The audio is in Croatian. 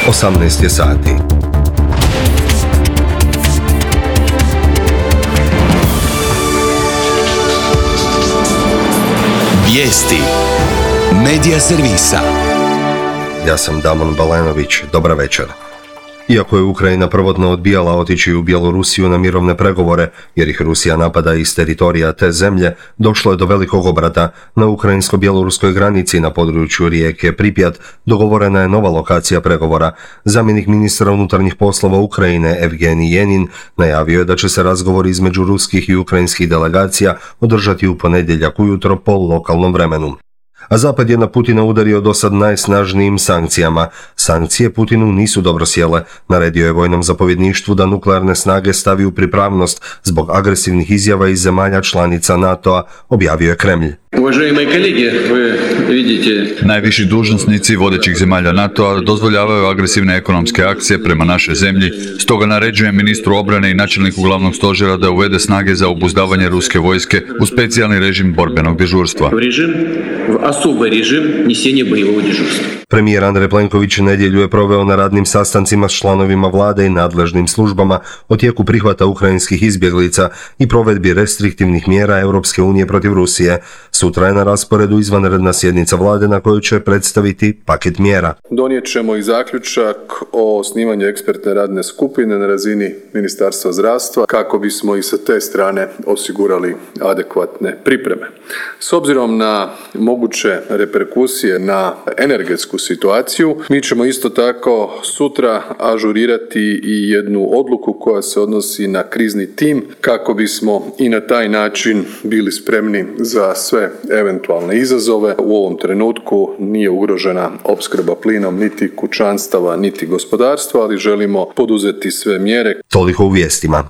18 je sati. Vijesti Medija servisa. Ja sam Damon Balenović, dobra večer. Iako je Ukrajina prvotno odbijala otići u Bjelorusiju na mirovne pregovore, jer ih Rusija napada iz teritorija te zemlje, došlo je do velikog obrata. Na ukrajinsko-bjeloruskoj granici na području rijeke Pripjat dogovorena je nova lokacija pregovora. Zamjenik ministra unutarnjih poslova Ukrajine Evgenij Jenin najavio je da će se razgovori između ruskih i ukrajinskih delegacija održati u ponedjeljak ujutro po lokalnom vremenu. A Zapad je na Putina udario dosad najsnažnijim sankcijama. Sankcije Putinu nisu dobro sjele. Naredio je vojnom zapovjedništvu da nuklearne snage stavi u pripravnost zbog agresivnih izjava iz zemalja članica NATO-a, objavio je Kremlj. Najviši dužnosnici vodećih zemalja NATO-a dozvoljavaju agresivne ekonomske akcije prema našoj zemlji, stoga naređujem ministru obrane i načelniku glavnog stožera da uvede snage za obuzdavanje ruske vojske u specijalni režim borbenog dežurstva. Premijer Andrej Plenković nedjelju je proveo na radnim sastancima s članovima vlade i nadležnim službama o tijeku prihvata ukrajinskih izbjeglica i provedbi restriktivnih mjera Europske unije protiv Rusije. Sutra je na rasporedu izvanredna sjednica vlade na kojoj će predstaviti paket mjera. Donijet ćemo i zaključak o osnivanju ekspertne radne skupine na razini Ministarstva zdravstva kako bismo i sa te strane osigurali adekvatne pripreme. S obzirom na moguće reperkusije na energetsku situaciju, mi ćemo isto tako sutra ažurirati i jednu odluku koja se odnosi na krizni tim kako bismo i na taj način bili spremni za sve eventualne izazove. U ovom trenutku nije ugrožena opskrba plinom niti kućanstava niti gospodarstva, ali želimo poduzeti sve mjere. Toliko u vijestima.